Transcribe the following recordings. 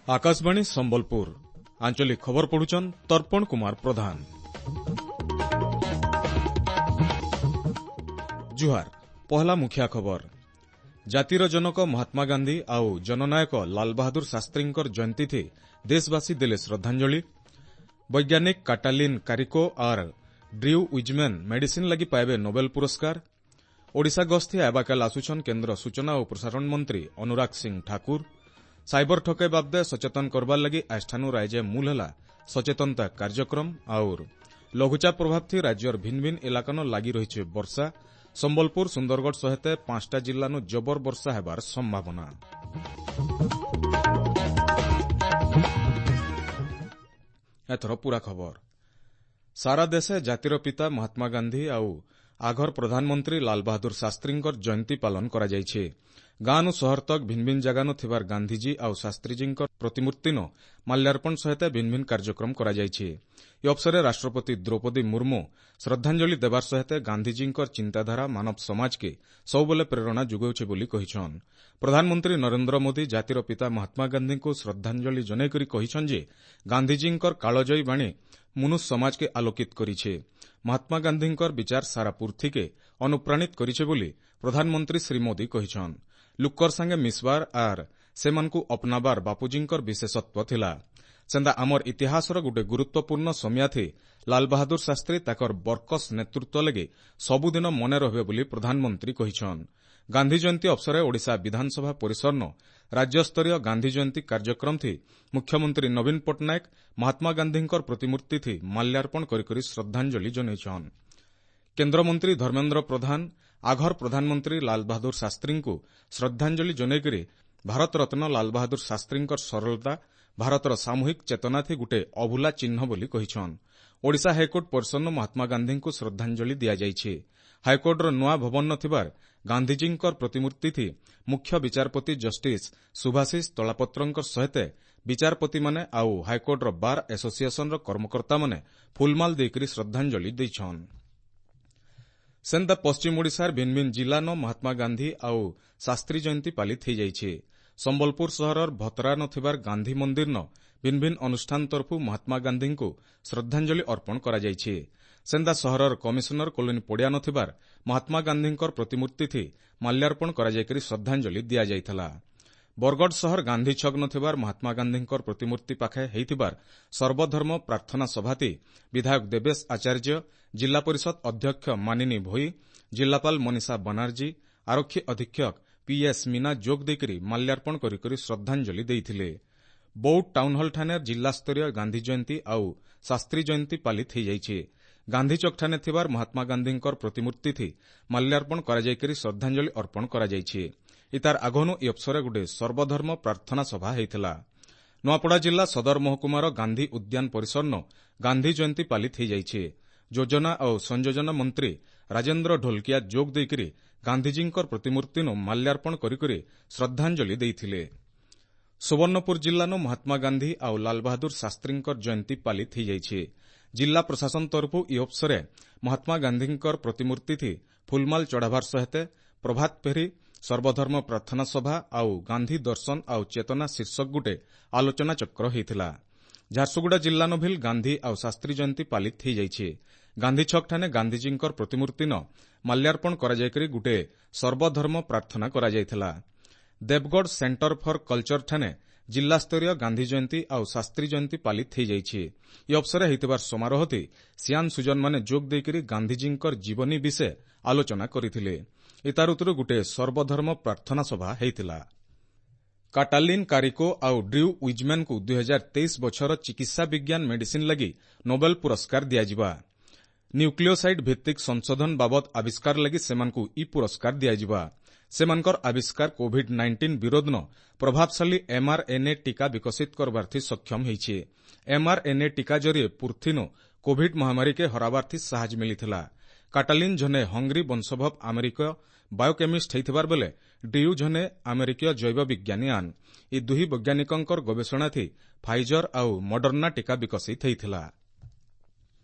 ଆକାଶବାଣୀ ସମ୍ବଲପୁର ଆଞ୍ଚଳିକ ଖବର ପଢୁଛନ୍ ତର୍ପଣ କୁମାର ପ୍ରଧାନ। ଜୁହାର, ପହଲା ମୁଖିଆ ଖବର। ଜାତିର ଜନକ ମହାତ୍ମା ଗାନ୍ଧୀ ଆଉ ଜନନାୟକ ଲାଲବାହାଦୁର ଶାସ୍ତ୍ରୀଙ୍କର ଜୟନ୍ତୀଥି ଦେଶବାସୀ ଦେଲେ ଶ୍ରଦ୍ଧାଞ୍ଜଳି। ବୈଜ୍ଞାନିକ କାଟାଲିନ୍ କାରିକୋ ଆର୍ ଡ୍ରିଉ ୱିଜ୍ମ୍ୟାନ୍ ମେଡିସିନ୍ ଲାଗି ପାଇବେ ନୋବେଲ ପୁରସ୍କାର। ଓଡ଼ିଶା ଗସ୍ତି ଆବାକାଲ ଆସୁଛନ୍ କେନ୍ଦ୍ର ସୂଚନା ଓ ପ୍ରସାରଣ ମନ୍ତ୍ରୀ ଅନୁରାଗ ସିଂ ଠାକୁର। ସାଇବର ଠକେଇ ବାବଦେ ସଚେତନ କରବାର ଲାଗି ଆଜିଠାନୁ ରାଇଜେ ମୂଲ ହେଲା ସଚେତନତା କାର୍ଯ୍ୟକ୍ରମ। ଆଉର ଲଘୁଚାପ ପ୍ରଭାବଥି ରାଜ୍ୟର ଭିନ୍ନ ଭିନ୍ନ ଇଲାକାନ ଲାଗି ରହିଛି ବର୍ଷା। ସମ୍ବଲପୁର, ସୁନ୍ଦରଗଡ଼ ସହିତ 5ଟା ଜିଲ୍ଲାନୁ ଜବର ବର୍ଷା ହେବାର ସମ୍ଭାବନା। ଏଥର ପୁରା ଖବର। ସାରା ଦେଶେ ଜାତିର ପିତା ମହାତ୍ମା ଗାନ୍ଧୀ ଆଉ ଆଘର ପ୍ରଧାନମନ୍ତ୍ରୀ ଲାଲବାହାଦୁର ଶାସ୍ତ୍ରୀଙ୍କର ଜୟନ୍ତୀ ପାଳନ କରାଯାଇଛି। ଗାଁନୁ ସହର ତକ୍ ଭିନ୍ନ ଭିନ୍ନ ଜାଗାନୁ ଥିବାର ଗାନ୍ଧୀଜୀ ଆଉ ଶାସ୍ତ୍ରୀଜୀଙ୍କ ପ୍ରତିମୂର୍ତ୍ତିନ ମାଲ୍ୟାର୍ପଣ ସହିତ ଭିନ୍ନ ଭିନ୍ନ କାର୍ଯ୍ୟକ୍ରମ କରାଯାଇଛି। ଏ ଅବସରରେ ରାଷ୍ଟ୍ରପତି ଦ୍ରୌପଦୀ ମୁର୍ମୁ ଶ୍ରଦ୍ଧାଞ୍ଜଳି ଦେବାର ସହିତ ଗାନ୍ଧୀଜୀଙ୍କର ଚିନ୍ତାଧାରା ମାନବ ସମାଜକେ ସବୁବେଳେ ପ୍ରେରଣା ଯୋଗାଉଛି ବୋଲି କହିଛନ୍। ପ୍ରଧାନମନ୍ତ୍ରୀ ନରେନ୍ଦ୍ର ମୋଦି ଜାତିର ପିତା ମହାତ୍ମା ଗାନ୍ଧୀଙ୍କୁ ଶ୍ରଦ୍ଧାଞ୍ଜଳି ଜଣାଇକରି କହିଛନ୍ ଯେ ଗାନ୍ଧୀଜୀଙ୍କର କାଳଜୟୀ ବାଣୀ ମନୁଷ୍ୟ ସମାଜକେ ଆଲୋକିତ କରିছে। ମହାତ୍ମା ଗାନ୍ଧୀଙ୍କର ବିଚାର ସାରା ପୃଥିବୀକେ ଅନୁପ୍ରାଣିତ କରିছে ବୋଲି ପ୍ରଧାନମନ୍ତ୍ରୀ ଶ୍ରୀ ମୋଦି କହିଛନ୍। ଲୁକର ସାଙ୍ଗେ ମିଶବାର ଆର୍ ସେମାନଙ୍କୁ ଅପନାବାର ବାପୁଜୀଙ୍କର ବିଶେଷତ୍ୱ ଥିଲା। ସେନ୍ତା ଆମର ଇତିହାସର ଗୋଟେ ଗୁରୁତ୍ୱପୂର୍ଣ୍ଣ ସମିୟାଥି ଲାଲବାହାଦୁର ଶାସ୍ତ୍ରୀ ତାକର ବର୍କସ ନେତୃତ୍ୱ ଲାଗି ସବୁଦିନ ମନେ ରହିବେ ବୋଲି ପ୍ରଧାନମନ୍ତ୍ରୀ କହିଛନ୍। ଗାନ୍ଧୀ ଜୟନ୍ତୀ ଅବସରରେ ଓଡ଼ିଶା ବିଧାନସଭା ପରିସରନ ରାଜ୍ୟସ୍ତରୀୟ ଗାନ୍ଧୀ ଜୟନ୍ତୀ କାର୍ଯ୍ୟକ୍ରମଥି ମୁଖ୍ୟମନ୍ତ୍ରୀ ନବୀନ ପଟ୍ଟନାୟକ ମହାତ୍ମା ଗାନ୍ଧୀଙ୍କର ପ୍ରତିମୂର୍ତ୍ତିଥି ମାଲ୍ୟାର୍ପଣ କରିକରି ଶ୍ରଦ୍ଧାଞ୍ଜଳି ଜଣାଇଛନ୍। କେନ୍ଦ୍ରମନ୍ତ୍ରୀ ଧର୍ମେନ୍ଦ୍ର ପ୍ରଧାନ ଆଘର ପ୍ରଧାନମନ୍ତ୍ରୀ ଲାଲବାହାଦୁର ଶାସ୍ତ୍ରୀଙ୍କୁ ଶ୍ରଦ୍ଧାଞ୍ଜଳି ଜଣାଇକରି ଭାରତରତ୍ନ ଲାଲବାହାଦୁର ଶାସ୍ତ୍ରୀଙ୍କର ସରଳତା ଭାରତର ସାମୂହିକ ଚେତନାଥି ଗୋଟିଏ ଅଭୁଲା ଚିହ୍ନ ବୋଲି କହିଛନ୍। ଓଡ଼ିଶା ହାଇକୋର୍ଟ ପରିସରନ ମହାତ୍ମା ଗାନ୍ଧୀଙ୍କୁ ଶ୍ରଦ୍ଧାଞ୍ଜଳି ଦିଆଯାଇଛି। ହାଇକୋର୍ଟର ନୂଆ ଭବନ ଥିବାର ଗାନ୍ଧୀଜୀଙ୍କର ପ୍ରତିମୂର୍ତ୍ତିଥି ମୁଖ୍ୟ ବିଚାରପତି ଜଷ୍ଟିସ୍ ସୁଭାଶିଷ ତଳାପତ୍ରଙ୍କ ସହିତ ବିଚାରପତିମାନେ ଆଉ ହାଇକୋର୍ଟର ବାର୍ ଆସୋସିଏସନର କର୍ମକର୍ତ୍ତାମାନେ ଫୁଲମାଲ ଦେଇକରି ଶ୍ରଦ୍ଧାଞ୍ଜଳି ଦେଇଛନ୍। ସେନ୍ତା ପଶ୍ଚିମ ଓଡ଼ିଶାର ଭିନ୍ନ ଭିନ୍ନ ଜିଲ୍ଲାନ ମହାତ୍ମା ଗାନ୍ଧୀ ଆଉ ଶାସ୍ତ୍ରୀ ଜୟନ୍ତୀ ପାଳିତ ହୋଇଯାଇଛି। ସମ୍ବଲପୁର ସହରର ଭତରାନ ଥିବାର ଗାନ୍ଧୀ ମନ୍ଦିରନ ଭିନ୍ନ ଭିନ୍ନ ଅନୁଷ୍ଠାନ ତରଫୁ ମହାତ୍ମା ଗାନ୍ଧୀଙ୍କୁ ଶ୍ରଦ୍ଧାଞ୍ଜଳି ଅର୍ପଣ କରାଯାଇଛି। ସେନ୍ତା ସହରର କମିଶନର କଲୋନୀ ପଡ଼ିଆନ ଥିବାର ମହାତ୍ମା ଗାନ୍ଧୀଙ୍କର ପ୍ରତିମୂର୍ତ୍ତିଥି ମାଲ୍ୟାର୍ପଣ କରାଯାଇକରି ଶ୍ରଦ୍ଧାଞ୍ଜଳି ଦିଆଯାଇଥିଲା। ବରଗଡ଼ ସହର ଗାନ୍ଧୀ ଛକ ଥିବାର ମହାତ୍ମା ଗାନ୍ଧୀଙ୍କର ପ୍ରତିମୂର୍ତ୍ତି ପାଖେ ହେଇଥିବାର ସର୍ବଧର୍ମ ପ୍ରାର୍ଥନା ସଭାତି ବିଧାୟକ ଦେବେଶ ଆଚାର୍ଯ୍ୟ, ଜିଲ୍ଲା ପରିଷଦ ଅଧ୍ୟକ୍ଷ ମାନିନୀ ଭୋଇ, ଜିଲ୍ଲାପାଳ ମନୀଷା ବାନାର୍ଜୀ, ଆରକ୍ଷୀ ଅଧୀକ୍ଷକ ପିଏସ୍ ମୀନା ଯୋଗ ଦେଇକରି ମାଲ୍ୟାର୍ପଣ କରିକରି ଶ୍ରଦ୍ଧାଞ୍ଜଳି ଦେଇଥିଲେ। ବୌଦ୍ଧ ଟାଉନହଲଠାରେ ଜିଲ୍ଲାସ୍ତରୀୟ ଗାନ୍ଧୀ ଜୟନ୍ତୀ ଆଉ ଶାସ୍ତ୍ରୀ ଜୟନ୍ତୀ ପାଳିତ ହୋଇଯାଇଛି। ଗାନ୍ଧୀଚକଠାରେ ଥିବାର ମହାତ୍ମା ଗାନ୍ଧୀଙ୍କର ପ୍ରତିମୂର୍ତ୍ତିଥି ମାଲ୍ୟାର୍ପଣ କରାଯାଇକରି ଶ୍ରଦ୍ଧାଞ୍ଜଳି ଅର୍ପଣ କରାଯାଇଛି। ଇତାର ଆଗନୁ ଏ ଅବସରରେ ଗୋଟିଏ ସର୍ବଧର୍ମ ପ୍ରାର୍ଥନା ସଭା ହୋଇଥିଲା। ନୂଆପଡ଼ା ଜିଲ୍ଲା ସଦର ମହକୁମାର ଗାନ୍ଧୀ ଉଦ୍ୟାନ ପରିସରନ ଗାନ୍ଧୀ ଜୟନ୍ତୀ ପାଳିତ ହୋଇଯାଇଛି। ଯୋଜନା ଆଉ ସଂଯୋଜନା ମନ୍ତ୍ରୀ ରାଜେନ୍ଦ୍ର ଢୋଲକିଆ ଯୋଗ ଦେଇକରି ଗାନ୍ଧୀଜୀଙ୍କର ପ୍ରତିମୂର୍ତ୍ତିନୁ ମାଲ୍ୟାର୍ପଣ କରିକରି ଶ୍ରଦ୍ଧାଞ୍ଜଳି ଦେଇଥିଲେ। ସୁବର୍ଣ୍ଣପୁର ଜିଲ୍ଲାନୁ ମହାତ୍ମା ଗାନ୍ଧୀ ଆଉ ଲାଲବାହାଦୁର ଶାସ୍ତ୍ରୀଙ୍କର ଜୟନ୍ତୀ ପାଳିତ ହୋଇଯାଇଛି। ଜିଲ୍ଲା ପ୍ରଶାସନ ତରଫୁ ଇ ଅବସରରେ ମହାତ୍ମା ଗାନ୍ଧୀଙ୍କର ପ୍ରତିମୂର୍ତ୍ତିଥି ଫୁଲମାଲ ଚଢ଼ାବାର ସହିତ ପ୍ରଭାତ ଫେରି, ସର୍ବଧର୍ମ ପ୍ରାର୍ଥନା ସଭା ଆଉ ଗାନ୍ଧୀ ଦର୍ଶନ ଆଉ ଚେତନା ଶୀର୍ଷକ ଗୋଟେ ଆଲୋଚନାଚକ୍ର ହୋଇଥିଲା। ଝାରସୁଗୁଡ଼ା ଜିଲ୍ଲାନ ଭିଲ୍ ଗାନ୍ଧୀ ଆଉ ଶାସ୍ତ୍ରୀ ଜୟନ୍ତୀ ପାଳିତ ହୋଇଯାଇଛି। ଗାନ୍ଧୀଛକଠାରେ ଗାନ୍ଧୀଜୀଙ୍କର ପ୍ରତିମୂର୍ତ୍ତିନ ମାଲ୍ୟାର୍ପଣ କରାଯାଇକରି ଗୋଟିଏ ସର୍ବଧର୍ମ ପ୍ରାର୍ଥନା କରାଯାଇଥିଲା। ଦେବଗଡ଼ ସେଣ୍ଟର ଫର କଲଚରଠାରେ ଜିଲ୍ଲାସ୍ତରୀୟ ଗାନ୍ଧୀ ଜୟନ୍ତୀ ଆଉ ଶାସ୍ତ୍ରୀ ଜୟନ୍ତୀ ପାଳିତ ହୋଇଯାଇଛି। ଏ ଅବସରରେ ହୋଇଥିବାର ସମାରୋହଥି ସିଆନ୍ ସୁଜନମାନେ ଯୋଗ ଦେଇକରି ଗାନ୍ଧୀଜୀଙ୍କର ଜୀବନୀ ବିଷୟ ଆଲୋଚନା କରିଥିଲେ। ଏତାର ଉତ୍ତରୁ ଗୋଟିଏ ସର୍ବଧର୍ମ ପ୍ରାର୍ଥନା ସଭା ହୋଇଥିଲା। କାଟାଲିନ୍ କାରିକୋ ଆଉ ଡ୍ରିଉ ୱିଜ୍ମ୍ୟାନ୍ଙ୍କୁ 2023 ବଛର ଚିକିତ୍ସା ବିଜ୍ଞାନ ମେଡିସିନ୍ ଲାଗି ନୋବେଲ ପୁରସ୍କାର ଦିଆଯିବା। ନ୍ୟୁକ୍ଲିଓସାଇଡ୍ ଭିତ୍ତିକ ସଂଶୋଧନ ବାବଦ ଆବିଷ୍କାର ଲାଗି ସେମାନଙ୍କୁ ଇ ପୁରସ୍କାର ଦିଆଯିବା। ସେମାନଙ୍କର ଆବିଷ୍କାର କୋଭିଡ୍ 19 ବିରୋଧନ ପ୍ରଭାବଶାଳୀ ଏମ୍ଆର୍ଏନ୍ଏ ଟିକା ବିକଶିତ କରବାର୍ଥି ସକ୍ଷମ ହୋଇଛି। ଏମ୍ଆର୍ଏନ୍ଏ ଟିକା ଜରିଏ ପୃଥିନୁ କୋଭିଡ୍ ମହାମାରୀକେ ହରାବାର୍ଥି ସାହାଯ୍ୟ ମିଳିଥିଲା। କାଟାଲିନ୍ ଜଣେ ହଙ୍ଗରୀ ବଂଶୋଦ୍ଭବ ଆମେରିକୀୟ ବାୟୋକେମିଷ୍ଟ ହେଇଥିବାର ବେଲେ ଡ୍ରିଉ ଜଣେ ଆମେରିକୀୟ ଜୈବ ବିଜ୍ଞାନୀ ଆନ୍। ଏ ଦୁହି ବୈଜ୍ଞାନିକଙ୍କର ଗବେଷଣାଥି ଫାଇଜର ଆଉ ମଡର୍ଣ୍ଣା ଟିକା ବିକଶିତ ହେଇଥିଲା।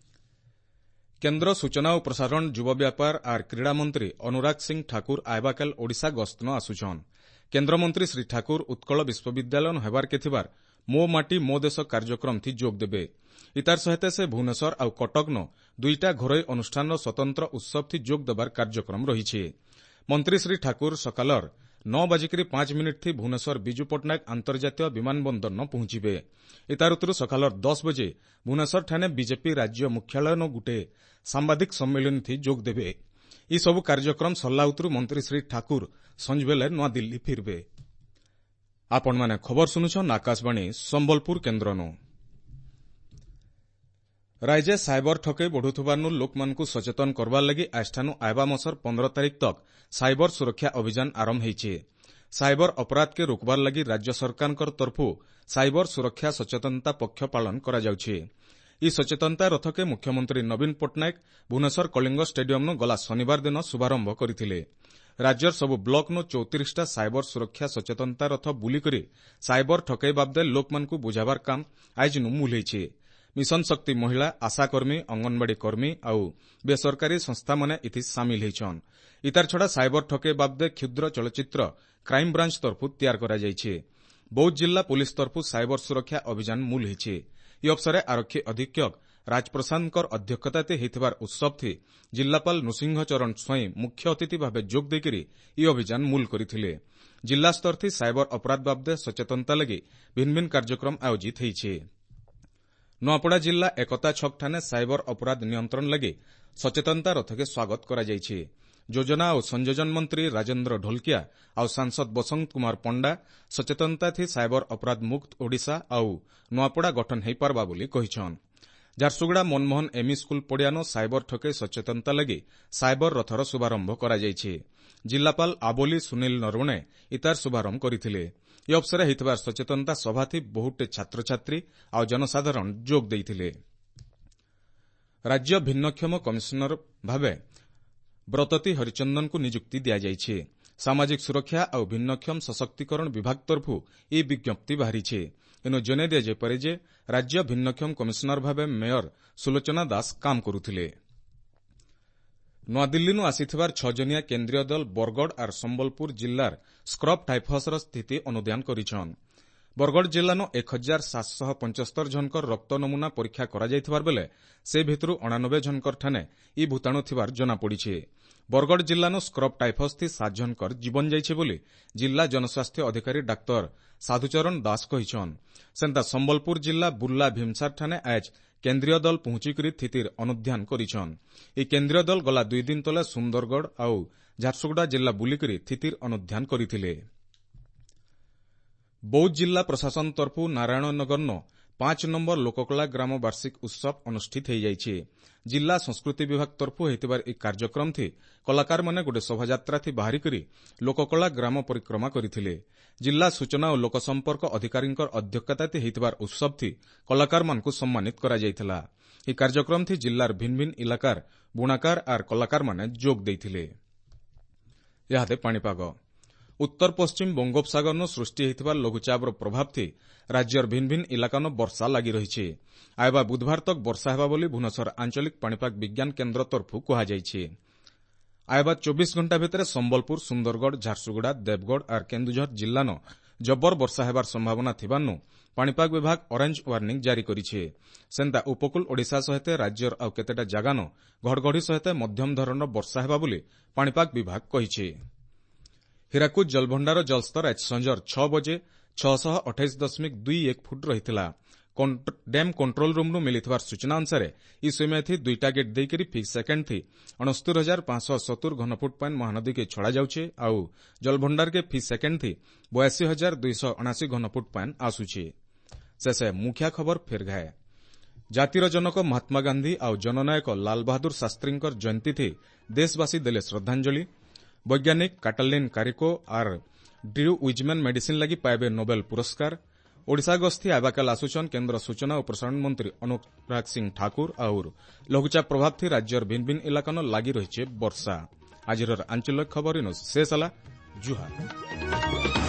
କେନ୍ଦ୍ର ସୂଚନା ଓ ପ୍ରସାରଣ, ଯୁବ ବ୍ୟାପାର ଆର୍ କ୍ରୀଡ଼ା ମନ୍ତ୍ରୀ ଅନୁରାଗ ସିଂ ଠାକୁର ଆଇବାକାଲ ଓଡ଼ିଶା ଗସ୍ତନ ଆସୁଛନ୍। କେନ୍ଦ୍ରମନ୍ତ୍ରୀ ଶ୍ରୀ ଠାକୁର ଉତ୍କଳ ବିଶ୍ୱବିଦ୍ୟାଳୟ ହେବାର୍କେ ଥିବାର ମୋ ମାଟି ମୋ ଦେଶ କାର୍ଯ୍ୟକ୍ରମ ଥି ଯୋଗ ଦେବେ। ଇତାର ସହିତ ସେ ଭୁବନେଶ୍ୱର ଆଉ କଟକନ ଦୁଇଟା ଘରୋଇ ଅନୁଷ୍ଠାନର ସ୍ୱତନ୍ତ୍ର ଉତ୍ସବ ଥି ଯୋଗ ଦେବାର କାର୍ଯ୍ୟକ୍ରମ ରହିଛି। ମନ୍ତ୍ରୀ ଶ୍ରୀ ଠାକୁର ସକାଳର 9:05 ଥି ଭୁବନେଶ୍ୱର ବିଜୁ ପଟ୍ଟନାୟକ ଆନ୍ତର୍ଜାତୀୟ ବିମାନ ବନ୍ଦରନ ପହଞ୍ଚିବେ। ଇତାର ଉତ୍ତରୁ ସକାଳର 10 ବଜେ ଭୁବନେଶ୍ୱରଠାନେ ବିଜେପି ରାଜ୍ୟ ମୁଖ୍ୟାଳୟନ ଗୁଟେ ସାମ୍ବାଦିକ ସମ୍ମିଳନୀ ଥି ଯୋଗ ଦେବେ। ଇ ସବୁ କାର୍ଯ୍ୟକ୍ରମ ସରିଲା ଉତ୍ତରୁ ମନ୍ତ୍ରୀ ଶ୍ରୀ ଠାକୁର ସଞ୍ଜବେଲେ ନୂଆଦିଲ୍ଲୀ ଫିରବେ। ଆପଣମାନେ ଖବର ଶୁଣୁଛନ୍ ଆକାଶବାଣୀ ସମ୍ବଲପୁର କେନ୍ଦ୍ରନୁ। ରାଜ୍ୟ ସାଇବର ଠକେଇ ବଢ଼ୁଥିବାରୁ ଲୋକମାନଙ୍କୁ ସଚେତନ କରବାର ଲାଗି ଆଜଠାନୁ ଆଇବା ମାସର 15 ତାରିଖ ତକ ସାଇବର ସୁରକ୍ଷା ଅଭିଯାନ ଆରମ୍ଭ ହେଇଛି। ସାଇବର ଅପରାଧକେ ରୋକବାର ଲାଗି ରାଜ୍ୟ ସରକାରଙ୍କ ତରଫୁ ସାଇବର ସୁରକ୍ଷା ସଚେତନତା ପକ୍ଷ ପାଳନ କରାଯାଉଛି। ଇ ସଚେତନତା ରଥକେ ମୁଖ୍ୟମନ୍ତ୍ରୀ ନବୀନ ପଟ୍ଟନାୟକ ଭୁବନେଶ୍ୱର କଳିଙ୍ଗ ଷ୍ଟାଡିୟମନୁ ଗଲା ଶନିବାର ଦିନ ଶୁଭାରମ୍ଭ କରିଥିଲେ। ରାଜ୍ୟର ସବୁ ବ୍ଲକନୁ 34ଟା ସାଇବର ସୁରକ୍ଷା ସଚେତନତା ରଥ ବୁଲିକରି ସାଇବର ଠକେଇ ବାବଦେ ଲୋକମାନଙ୍କୁ ବୁଝାବାର କାମ ଆଇଜନୁ ମୂଲ ହେଇଛି। ମିଶନ ଶକ୍ତି ମହିଳା, ଆଶାକର୍ମୀ, ଅଙ୍ଗନବାଡ଼ି କର୍ମୀ ଆଉ ବେସରକାରୀ ସଂସ୍ଥାମାନେ ଏଥି ସାମିଲ ହେଇଛନ୍। ଇତାର ଛଡ଼ା ସାଇବର ଠକେଇ ବାବଦେ କ୍ଷୁଦ୍ର ଚଳଚ୍ଚିତ୍ର କ୍ରାଇମବ୍ରାଞ୍ଚ ତରଫୁ ତିଆର କରାଯାଇଛି। ବୌଦ୍ଧ ଜିଲ୍ଲା ପୁଲିସ ତରଫୁ ସାଇବର ସୁରକ୍ଷା ଅଭିଯାନ ମୂଲ ହେଇଛି। ଇ ଅବସରେ ଆରକ୍ଷୀ ଅଧୀକ୍ଷକ ରାଜପ୍ରସାଦଙ୍କର ଅଧ୍ୟକ୍ଷତାରେ ହେଇଥିବାର ଉତ୍ସବଥି ଜିଲ୍ଲାପାଳ ନୃସିଂହ ଚରଣ ସ୍ୱାଇଁ ମୁଖ୍ୟ ଅତିଥି ଭାବେ ଯୋଗ ଦେଇକରି ଇ ଅଭିଯାନ ମୂଲ କରିଥିଲେ। ଜିଲ୍ଲା ସ୍ତରଥି ସାଇବର ଅପରାଧ ବାବଦେ ସଚେତନତା ଲାଗି ଭିନ୍ନ ଭିନ୍ନ କାର୍ଯ୍ୟକ୍ରମ ଆୟୋଜିତ ହେଇଛି। ନୂଆପଡ଼ା ଜିଲ୍ଲା ଏକତା ଛକଠାନେ ସାଇବର ଅପରାଧ ନିୟନ୍ତ୍ରଣ ଲାଗି ସଚେତନତା ରଥକେ ସ୍ୱାଗତ କରାଯାଇଛି। ଯୋଜନା ଓ ସଂଯୋଜନ ମନ୍ତ୍ରୀ ରାଜେନ୍ଦ୍ର ଢୋଲକିଆ ଆଉ ସାଂସଦ ବସନ୍ତ କୁମାର ପଣ୍ଡା ସଚେତନତା ଥି ସାଇବର ଅପରାଧ ମୁକ୍ତ ଓଡ଼ିଶା ଆଉ ନୂଆପଡ଼ା ଗଠନ ହୋଇପାରବା ବୋଲି କହିଛନ୍। ଝାରସୁଗୁଡ଼ା ମନମୋହନ ଏମ୍ଇ ସ୍କୁଲ ପଡ଼ିଆନ ସାଇବର ଠକେଇ ସଚେତନତା ଲାଗି ସାଇବର ରଥର ଶୁଭାରମ୍ଭ କରାଯାଇଛି। ଜିଲ୍ଲାପାଳ ଆବୋଲି ସୁନୀଲ ନରୱଣେ ଇତାର ଶୁଭାରମ୍ଭ କରିଥିଲେ। ଏ ଅବସରେ ହୋଇଥିବା ସଚେତନତା ସଭାଥି ବହୁଟେ ଛାତ୍ରଛାତ୍ରୀ ଆଉ ଜନସାଧାରଣ ଯୋଗ ଦେଇଥିଲେ। ରାଜ୍ୟ ଭିନ୍ନକ୍ଷମ କମିଶନର ଭାବେ ବ୍ରତତୀ ହରିଚନ୍ଦନଙ୍କୁ ନିଯୁକ୍ତି ଦିଆଯାଇଛି। ସାମାଜିକ ସୁରକ୍ଷା ଆଉ ଭିନ୍ନକ୍ଷମ ସଶକ୍ତିକରଣ ବିଭାଗ ତରଫରୁ ଏହି ବିଜ୍ଞପ୍ତି ବାହାରିଛି। ଏଣୁ ଜଣାଇ ଦିଆଯାଇପାରେ ଯେ ରାଜ୍ୟ ଭିନ୍ନକ୍ଷମ କମିଶନର ଭାବେ ମେୟର ସୁଲୋଚନା ଦାସ କାମ କରୁଥିଲେ। ନୂଆଦିଲ୍ଲୀରୁ ଆସିଥିବାର 6 ଜଣିଆ କେନ୍ଦ୍ରୀୟ ଦଳ ବରଗଡ଼ ଆର୍ ସମ୍ବଲପୁର ଜିଲ୍ଲାର ସ୍କ୍ରବ୍ ଟାଇଫସ୍ର ସ୍ଥିତି ଅନୁଧ୍ୟାନ କରିଛନ୍। ବରଗଡ଼ ଜିଲ୍ଲାନୁ 1775 ଜଣଙ୍କର ରକ୍ତ ନମୁନା ପରୀକ୍ଷା କରାଯାଇଥିବାର ବେଲେ ସେ ଭିତରୁ 89 ଜଣଙ୍କର ଠାନେ ଇ ଭୂତାଣୁ ଥିବାର ଜଣାପଡ଼ିଛି। ବରଗଡ଼ ଜିଲ୍ଲାନୁ ସ୍କ୍ରବ୍ ଟାଇଫସ୍ ଥି 7 ଜଣଙ୍କର ଜୀବନ ଯାଇଛି ବୋଲି ଜିଲ୍ଲା ଜନସ୍ୱାସ୍ଥ୍ୟ ଅଧିକାରୀ ଡାକ୍ତର ସାଧୁଚରଣ ଦାସ କହିଛନ୍। ସେନ୍ତା ସମ୍ବଲପୁର ଜିଲ୍ଲା ବୁର୍ଲା ଭୀମସାର ଠାନେ ଆଜ କେନ୍ଦ୍ରୀୟ ଦଳ ପହଞ୍ଚିକରି ସ୍ଥିତିର ଅନୁଧ୍ୟାନ କରିଛନ୍। ଏହି କେନ୍ଦ୍ରୀୟ ଦଳ ଗଲା 2 ଦିନ ତଳେ ସୁନ୍ଦରଗଡ଼ ଆଉ ଝାରସୁଗୁଡ଼ା ଜିଲ୍ଲା ବୁଲିକରି ସ୍ଥିତିର ଅନୁଧ୍ୟାନ କରିଥିଲେ। ବୌଦ୍ଧ ଜିଲ୍ଲା ପ୍ରଶାସନ ତରଫୁ ନାରାୟଣନଗରନ 5 ନମ୍ବର ଲୋକକଳା ଗ୍ରାମ ବାର୍ଷିକ ଉତ୍ସବ ଅନୁଷ୍ଠିତ ହୋଇଯାଇଛି। ଜିଲ୍ଲା ସଂସ୍କୃତି ବିଭାଗ ତରଫୁ ହୋଇଥିବାର ଏହି କାର୍ଯ୍ୟକ୍ରମ ଥି କଳାକାରମାନେ ଗୋଟେ ଶୋଭାଯାତ୍ରା ଥି ବାହାରିକରି ଲୋକକଳା ଗ୍ରାମ ପରିକ୍ରମା କରିଥିଲେ। ଜିଲ୍ଲା ସୂଚନା ଓ ଲୋକସମ୍ପର୍କ ଅଧିକାରୀଙ୍କ ଅଧ୍ୟକ୍ଷତାରେ ହୋଇଥିବାର ଉତ୍ସବ ଥି କଳାକାରମାନଙ୍କୁ ସମ୍ମାନିତ କରାଯାଇଥିଲା। ଏହି କାର୍ଯ୍ୟକ୍ରମ ଥି ଜିଲ୍ଲାର ଭିନ୍ନ ଭିନ୍ନ ଇଲାକାର ବୁଣାକାର ଆର୍ କଳାକାରମାନେ ଯୋଗ ଦେଇଥିଲେ। ଇହାଦେ ପାଣିପାଗ। ଉତ୍ତର ପଶ୍ଚିମ ବଙ୍ଗୋପସାଗରନୁ ସୃଷ୍ଟି ହୋଇଥିବା ଲଘୁଚାପର ପ୍ରଭାବ ଥି ରାଜ୍ୟର ଭିନ୍ନ ଭିନ୍ନ ଇଲାକାନୁ ବର୍ଷା ଲାଗି ରହିଛି। ଆଇବା ବୁଧବାର ତକ ବର୍ଷା ହେବା ବୋଲି ଭୁବନେଶ୍ୱର ଆଞ୍ଚଳିକ ପାଣିପାଗ ବିଜ୍ଞାନ କେନ୍ଦ୍ର ତରଫରୁ କୁହାଯାଇଛି। ଆଇବା 24 ଘଣ୍ଟା ଭିତରେ ସମ୍ବଲପୁର, ସୁନ୍ଦରଗଡ଼, ଝାରସୁଗୁଡ଼ା, ଦେବଗଡ଼ ଆର୍ କେନ୍ଦୁଝର ଜିଲ୍ଲାନ ଜବର ବର୍ଷା ହେବାର ସମ୍ଭାବନା ଥିବାରୁ ପାଣିପାଗ ବିଭାଗ ଅରେଞ୍ଜ ୱାର୍ଣ୍ଣିଂ ଜାରି କରିଛି। ସେନ୍ତା ଉପକୂଳ ଓଡ଼ିଶା ସହିତ ରାଜ୍ୟର ଆଉ କେତେଟା ଜାଗାନ ଘଡ଼ଘଡ଼ି ସହିତ ମଧ୍ୟମ ଧରଣର ବର୍ଷା ହେବା ବୋଲି ପାଣିପାଗ ବିଭାଗ କହିଛି। ହୀରାକୁଦ ଜଳଭଣ୍ଡାର ଜଳସ୍ତର ଆଜି ସଞ୍ଜର 6 ବଜେ 628.21 ଫୁଟ ରହିଥିଲା। ଡ୍ୟାମ୍ କଣ୍ଟ୍ରୋଲ ରୁମ୍ରୁ ମିଳିଥିବା ସୂଚନା ଅନୁସାରେ ଇ ସମୟଥି ଦୁଇଟା ଗେଟ୍ ଦେଇକରି ଫି ସେକେଣ୍ଡ ଥି 69,570 ଘନଫୁଟ ପାଣି ମହାନଦୀକେ ଛଡ଼ାଯାଉଛି ଆଉ ଜଳଭଣ୍ଡାରକେ ଫି ସେକେଣ୍ଡ ଥି 82,279 ଘନଫୁଟ ପାଣି ଆସୁଛି। ଶେଷେ ମୁଖ୍ୟ ଖବର ଫେର୍ ଘାଏ। ଜାତିର ଜନକ ମହାତ୍ମା ଗାନ୍ଧୀ ଆଉ ଜନନାୟକ ଲାଲ ବାହାଦୁର ଶାସ୍ତ୍ରୀଙ୍କର ଜୟନ୍ତୀ ଦେଶବାସୀ ଦେଲେ ଶ୍ରଦ୍ଧାଞ୍ଜଳି। ବୈଜ୍ଞାନିକ କାଟାଲିନ୍ କାରିକୋ ଆର୍ ଡ୍ରିଉ ୱିଜମ୍ୟାନ୍ ମେଡିସିନ୍ ଲାଗି ପାଇବେ ନୋବେଲ ପୁରସ୍କାର। ଓଡ଼ିଶା ଗସ୍ତି ଆବାକାଲ ଆସୁଛନ୍ କେନ୍ଦ୍ର ସୂଚନା ଓ ପ୍ରସାରଣ ମନ୍ତ୍ରୀ ଅନୁରାଗ ସିଂ ଠାକୁର। ଆଉର ଲଘୁଚାପ ପ୍ରଭାବ ଥି ରାଜ୍ୟର ଭିନ୍ନ ଭିନ୍ନ ଇଲାକାନ ଲାଗି ରହିছে ବର୍ଷା। ଆଜିର ଆଞ୍ଚଳିକ ଖବର ଇନୁ ଶେଷ ହେଲା। ଜୁହାର।